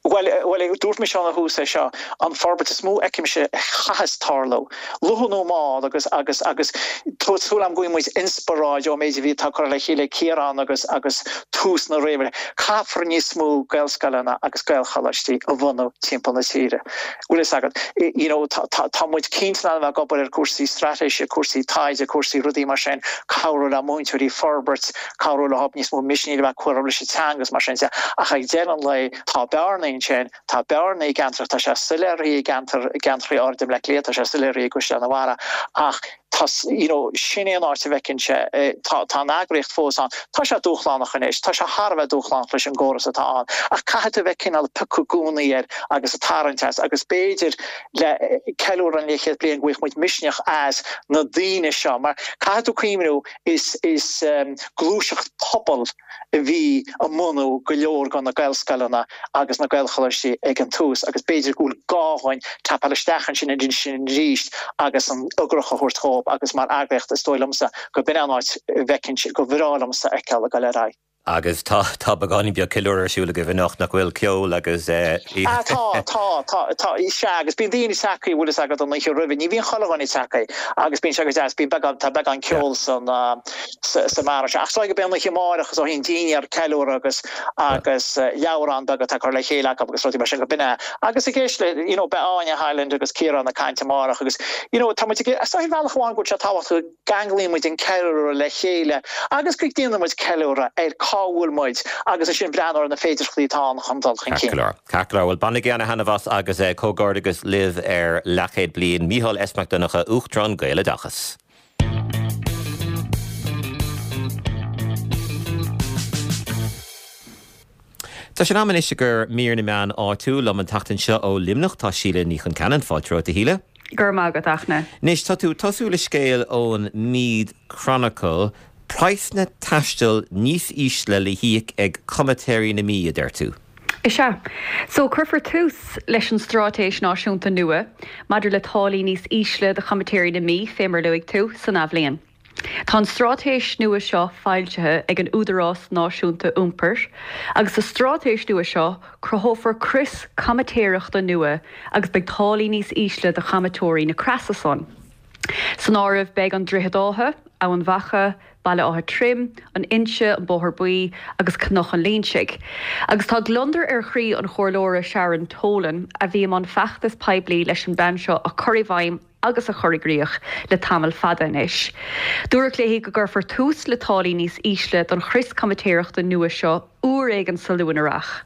Bhuel, bhuel, dúirt mise óna thús é seo, an forbairt is mó a fheicimse a chaithfeas tarlú, luath nó mall, agus, agus, agus tá súil agam go bhfaighidh muid inspioráid ón méid a bhí atá curtha le chéile ag Ciarán agus, agus tús na réimire. Caithfear níos mó Gaelscoileanna agus Gaelcholáistí a bhunú timpeall na tíre. Bhfuil fhios agat, you know, tá, tá, tá muid cinnte in ann a bheith ag obair ar cúrsaí straitéise, cúrsaí taighde, cúrsaí rudaí mar sin, cabhrú le múinteoirí forbairt, cabhrú leo níos mó misnigh a bheith acu leis an teanga agus mar sin de. Ach ag deireadh an lae, tá bearnaí ansin, tá bearnaí i gceantar, tá sé soiléir i gceantar, i gceantraí áirid i mBleá Cliath, tá sé soiléir i gCaisleán an Bharraigh, ach. Tá, you know, sin é an áit a bhfeicimse, tá, tá an eagraíocht fós ann. Tá sé dúshlánach anois, tá sé thar a bheith dúshlánach leis an gcóras atá ann, ach caithfidh tú a bheith cineál ag piocadh i gcónaí air agus ag tarraingt as agus b'fhéidir le ceiliúradh an leathchéad bliain go bhfaigheadh muid misneach as na daoine seo mar caithfidh tú cuimhniú is, is gluaiseacht pobail a bhí i mbunú go leor de na Gaelscoileanna agus na Gaelcholáistí ag an tús agus b'fhéidir go bhfuil gá dhúinn tapáil isteach ansin ansin arís agus an fhreagracht a thabhairt dhóibh agus mar eagraíocht is dóigh liomsa go b'in an áit a bhfeicfinn, go bhreá liomsa a fheiceáil ag dul ar aghaidh. Agus tá, tá beagáinín beag ceiliúradh ar siúl agaibh anocht, nach bhfuil? Ceol agus eh. Ah tá, tá, tá, tá, sea agus bíonn daoine tagtha, bhfuil fhios agat an oíche roimhe, ní bhíonn chuile dhuine tagtha agus bíonn sé go deas, bíonn beagán, tá beagán ceoil san, sa mbeár seo. Ach is dóigh go mbeidh an oíche amárach is ó thaobh dinnéar ceiliúradh agus agus leabhrán beag atá curtha le chéile acu agus rudaí mar sin go b'in é. Agus ag éist le, you know, beidh Áine Hyland agus Ciarán ag caint amárach agus, you know, tá muid ag, is dóigh ar bhealach amháin go bhfuil sé tábhachtach go gceanglaíonn muid an ceiliúradh le chéile agus go ndéanann muid ceiliúradh ar cá bhfuil muid agus ansin breathnú ar na féidearthachtaí atá ann chun dul chun cinn. Ceart go leor. Ceart go leor. Bhuel, bainigí ana-thaitneamh as agus comhghairdeachas libh ar leathchéad bliain. Mícheál S. Mac Donncha, Uachtarán Gaeloideachas. Tá sé in am anois i gcomhair mír na meán áitiúil liom an tseachtain seo ó Luimneach. Tá Síle Ní Chonceanainn. Fáilte romhat, a Shíle. Go raibh maith agat, Fhachtna. Anois, tá tú ag tosú le scéal ón Meath Chronicle, praghsanna taistil níos ísle le híoc ag comaitéirí na Mí, a deir tú. Is ea. So, cuirfear tús leis an straitéis náisiúnta nua maidir le táillí níos ísle do chomaitéirí na Mí, fé mar a luaigh tú, san athbhliain. Tá an straitéis nua seo foilsithe ag an Údarás Náisiúnta Iompair agus sa straitéis nua seo cruthófar crios comaitéireachta nua agus beidh táillí níos ísle do chomaitéirí na creasa san. San áireamh beidh an Droichead Átha, Eamhain Mhacha, Baile Átha Troim, An Inse, An Bóthar Buí agus Cnoc an Línsigh. Agus tá gliondar ar chroí an Chomhairleora Sharon Tolan, a bhí i mbun feachtas poiblí leis an bplean seo a chur i bhfeidhm agus a chur i gcrích le tamall fada anois. Dúradh léi go gcuirfear tús le táillí níos ísle don chrios comaitéireachta nua seo uair éigin sa luath-earrach.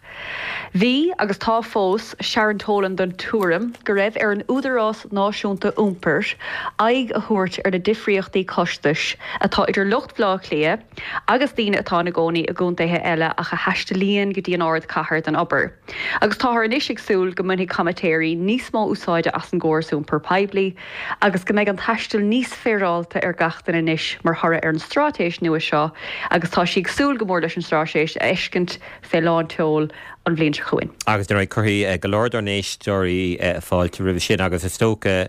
Bhí, agus tá fós, Sharon Tolan den tuairim go raibh ar an Údarás Náisiúnta Iompair aghaidh a thabhairt ar na difríochtaí costais atá idir lucht Bhaile Átha Cliath agus daoine atá ina gcónaí i gcontaetha eile ach a thaistealaíonn go dtí an ardchathair don obair. Agus táthar anois ag súil go mbainfidh comaitéirí níos mó úsáide as an gcóras iompair poiblí agus go mbeidh an taisteal níos féaráilte ar gach duine anois mar thoradh ar an straitéis nua seo agus tá sí ag súil go mór leis an straitéis a fheiscint fé lán tseoil an bhliain seo chugainn. Agus dar ndóigh cuirfidh go leor dár n-éisteoirí fáilte roimhe sin agus is dócha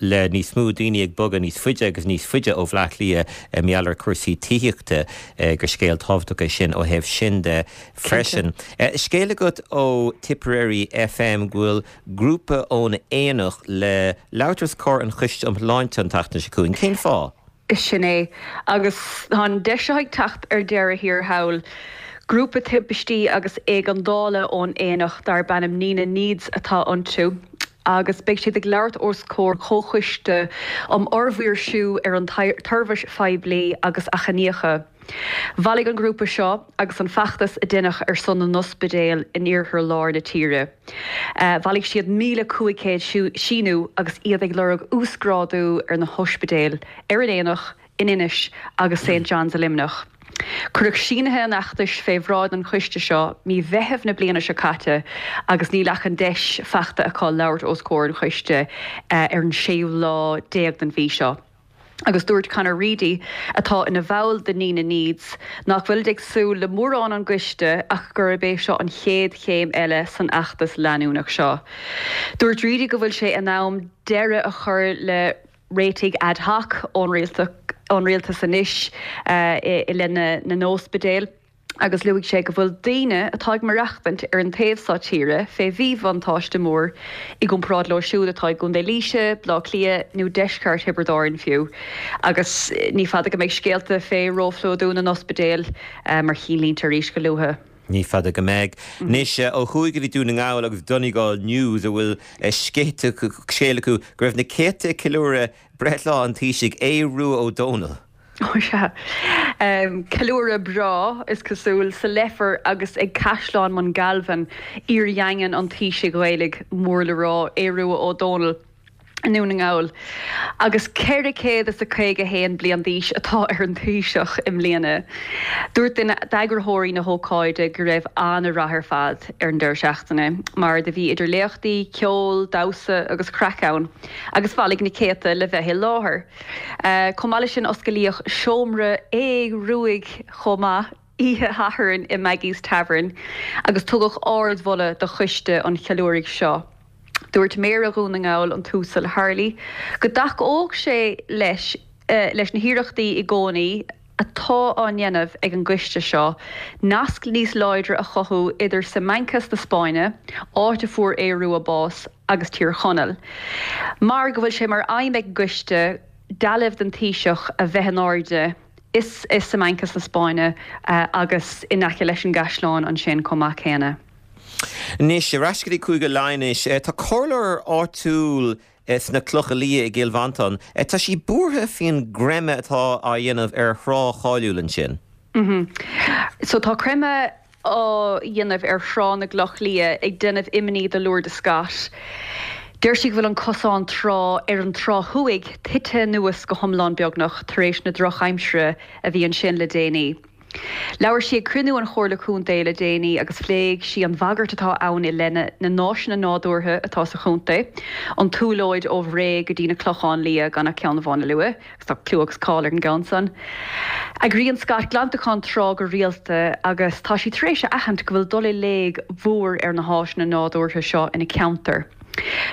le níos mó daoine ag bogadh níos faide agus níos faide ó Bhleá Cliath mar gheall ar chúrsaí tithíochta gur scéal tábhachtach é sin ó thaobh sin de freisin. Scéal agat ó Tipperary FM go bhfuil grúpa ón Aonach le labhairt os comhair an Choiste um Shláinte an tseachtain seo chugainn. Cén fáth? Sin é. Agus tá an deis seo ag teacht ar deireadh thiar thall. Grúpa timpistí agus éigeandála ón Aonach darb ainm Nenagh Needs atá iontu agus beidh siad ag labhairt os comhair Chomhchoiste um Fhormhaoirsiú ar an tSeirbhís Phoiblí agus Achainíocha. Bhailigh an grúpa seo agus an feachtas a deineadh ar son na n-ospidéal in iarthar lár na tíre. Bhailigh siad 1,500 síniú agus iad ag lorg uasghrádú ar na hospidéil ar an Aonach, in Inis agus St John's i Luimneach. Cuireadh sínithe an fheachtais fé bhráid an choiste seo mí Mheithimh na bliana seo caite agus níl ach an deis fachta acu labhairt os comhair an choiste ar an séú lá déag den mhí seo. Agus dúirt Conor Reidy, atá ina bhall de Nenagh Needs, nach bhfuilid ag súil le mórán ón gcoiste ach gurb é seo an chéad chéim eile san fheachtas leanúnach seo. Dúirt Reidy go bhfuil sé in am deireadh a chur le réitigh ad hoc ón rialtas anois i leith na n-ospidéal. agus luaigh sé go bhfuil daoine atá ag maireachtaint ar an taobh seo tíre fé mhíbhuntáiste mór i gcomparáid leo siúd atá i gContae Laoise, Baile Átha Cliath nó deisceart Thiobraid Árann fiú. Agus ní fada go mbeidh scéalta fé róphlódú na n-ospidéal mar chinnlínte arís go luath. Ní fada go mbeidh. Anois, ó thuaidh go dtí Dún na nGall agus Donegal News a bhfuil scéal acu go raibh na céadta ag ceiliúradh breithlá an Taoisigh, Aodh Rua Ó Dónaill. Ó sea. Ceiliúradh breá, is cosúil, sa Leifear agus ag Caisleán Mhungalvin, iardhaingean an Taoisigh Ghaelaigh mór le rá, Aodh Rua Ó Dónaill. I nDún na nGall. Agus 451 bliain d'aois atá ar an Taoiseach i mbliana. Dúirt duine d'eagraitheoirí na hócáide go raibh an-rath ar fad ar an deireadh seachtaine mar do bhí idir léachtaí, ceol, damhsa agus craic ann agus bhailigh na céadta le bheith i láthair. Chomh maith leis sin osclaíodh seomra Aodh Ruaidh chomh maith oíche Shathairn i Maggie's Tavern agus tugadh ardmholadh do choiste an cheiliúraidh seo. Dúirt Méara Dhún na nGall, an tUasal Harley, go dtacódh sé leis leis na hiarrachtaí i gcónaí atá á ndéanamh ag an gcoiste seo nasc níos láidre a chothú idir Simancas na Spáinne, áit a fuair Aodh Rua bás, agus Tír Chonaill. Mar go bhfuil sé mar aidhm ag an gcoiste dealbh den Taoiseach a bheith in airde i Simancas na Spáinne agus in aice leis an gcaisleán ansin chomh maith céanna. Anois, ar ais go dtí Cúige Laighean anois. Tá comhairleoir áitiúil sna Clocha Liath i gCill Mhantáin. Tá sí buartha faoin gcreimeadh atá á dhéanamh ar thrá cháiliúil ansin. So tá creimeadh á dhéanamh ar Thrá na gCloch Liath ag déanamh imní do Lourdes Scott. Deir sí go bhfuil an cosán trá ar an trá thuaidh tite anuas go hiomlán beagnach tar éis na drochaimsire a bhí ansin le déanaí. Labhair sí ag cruinniú an Chomhairle Contae le déanaí agus phléigh sí an bhagairt atá ann i leith na na n-áiseanna nádúrtha atá sa chontae, an tSúlóid ó Bhré go dtí na Clocháin Liath gan ach ceann amháin a lua, agus tá clú agus cáil ar an gceann san. Eagraíonn Scott glantachán trá go rialta agus tá sí tar éis a aithint go bhfuil dul i léig mhór ar na háiseanna nádúrtha seo ina ceantar.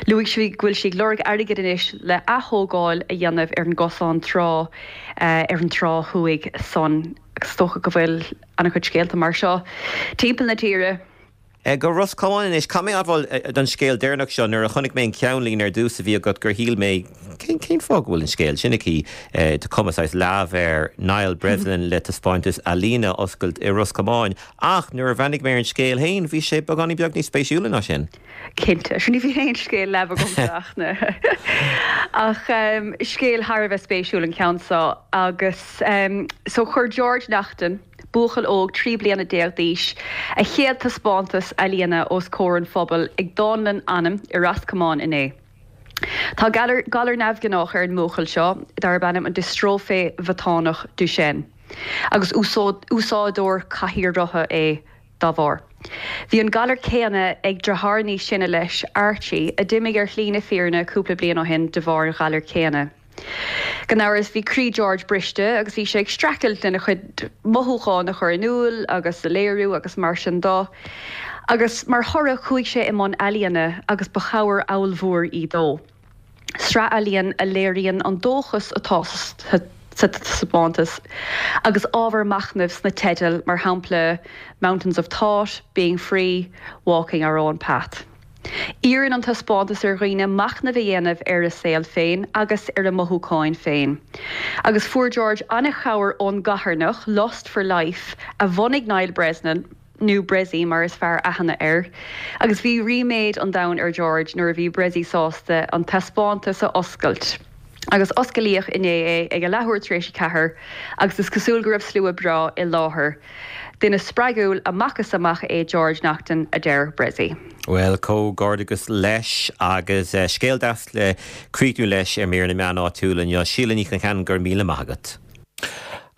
Luaigh sí go bhfuil sí ag lorg airgid anois le ath-thógáil a dhéanamh ar an gcosán trá ar an trá thuaidh san agus is dócha go bhfuil an-chuid scéalta mar seo timpeall na tíre. Go Ros Comáin anois. Caithfidh mé admháil don scéal deireanach seo, nuair a chonaic mé an ceannlíne ar dtús a bhí agat gur shíl mé, cén cén fáth go bhfuil an scéal sin aici? Tá cuma saghas leamh ar Niall Breslin le taispeántas ealaíne a oscailt i Ros Comáin. Ach nuair a bhreathnaigh mé ar an scéal féin, bhí sé beagáinín beag níos spéisiúla ná sin. Cinnte. Sea, ní bhíonn aon scéal leamh agamsa ach na. Ach scéal thar a bheith spéisiúil an ceann seo agus so chuir George Naughton, buachaill óg 13 bliana d'aois, a chéad taispeántas ealaíona os comhair an phobail ag Dánlann Anam i Ros Comáin inné. Tá galar galar neamhghnách ar an mbuachaill seo darb ainm an diostróife mhiotánach Duchenne agus úsáideoir cathaoir rotha é dá bharr. Bhí an galar céanna ag deartháir níos sine leis, Archie, a d'imigh ar shlí na fírinne cúpla bliain ó shin de bharr an ghalair chéanna. Gan amhras, bhí croí George briste agus bhí sé ag streachailt lena chuid mothúchán a chur in iúl agus a léiriú agus mar sin de. Agus mar thoradh chuaigh sé i mbun ealaíona agus ba chabhair ollmhór í dó. Sraith ealaíon a léiríonn an dóchas atá sa taispeántas agus ábhar machnaimh sna teidil, mar shampla 'Mountains of Thought', 'Being Free', 'Walking Our Own Path'. Iarrann an taispeántas ar dhaoine machnamh a dhéanamh ar a saol féin agus ar a mothúcháin féin. Agus fuair George an-chabhair ón gcarthanacht, Lust for Life, a bhunaigh Niall Breslin, nó Bressie mar is fearr aithne air, agus bhí ríméad an domhain ar George nuair a bhí Bressie sásta an taispeántas a oscailt. Agus osclaíodh inné é ag a leathuair tar éis a ceathair agus is cosúil go raibh slua breá i láthair. Duine spreagúil amach is amach é George Naughton, a deir Bressie. Bhuel, comhghairdeachas leis agus scéal deas le críochnú leis ar mír na meán áitiúil inniu. Síle Ní Choncheanainn, go raibh míle maith agat.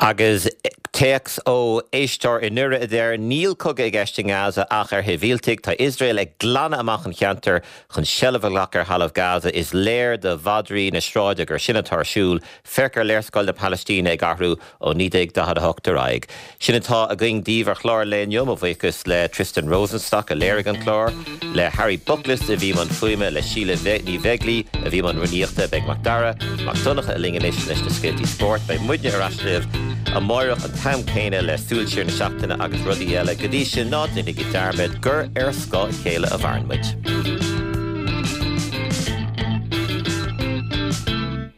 Agus téacs ó éisteoir i nDoire a deir, Níl cogadh i gceist i nGaza ach ar shibhialtaigh. Tá Iosrael ag glanadh amach an cheantair chun seilbh a ghlacadh ar thalamh Gaza. Is léir do mhadraí na sráide gur sin atá ar siúl. Féach ar léarscáil na Palaistíne ag athrú ó 1948 ar aghaidh. Sin atá againn daoibh ar chlár an lae inniu. Mo bhuíochas le Tristan Rosenstock a léirigh an clár, le Harry Bookless a bhí i mbun fuaime, le Síle Ní Bheaglaoi a bhí i mbun rúnaíochta. Beidh Mac Dara Mac Donncha linn anois leis na scéaltaí spóirt. Beidh muidne ar ais libh amáireach an t-am céanna le súil siar na seachtaine agus rudaí eile. Go dtí sin, ná déanaigí dearmad gur ar scáth a chéile a mhaireann muid.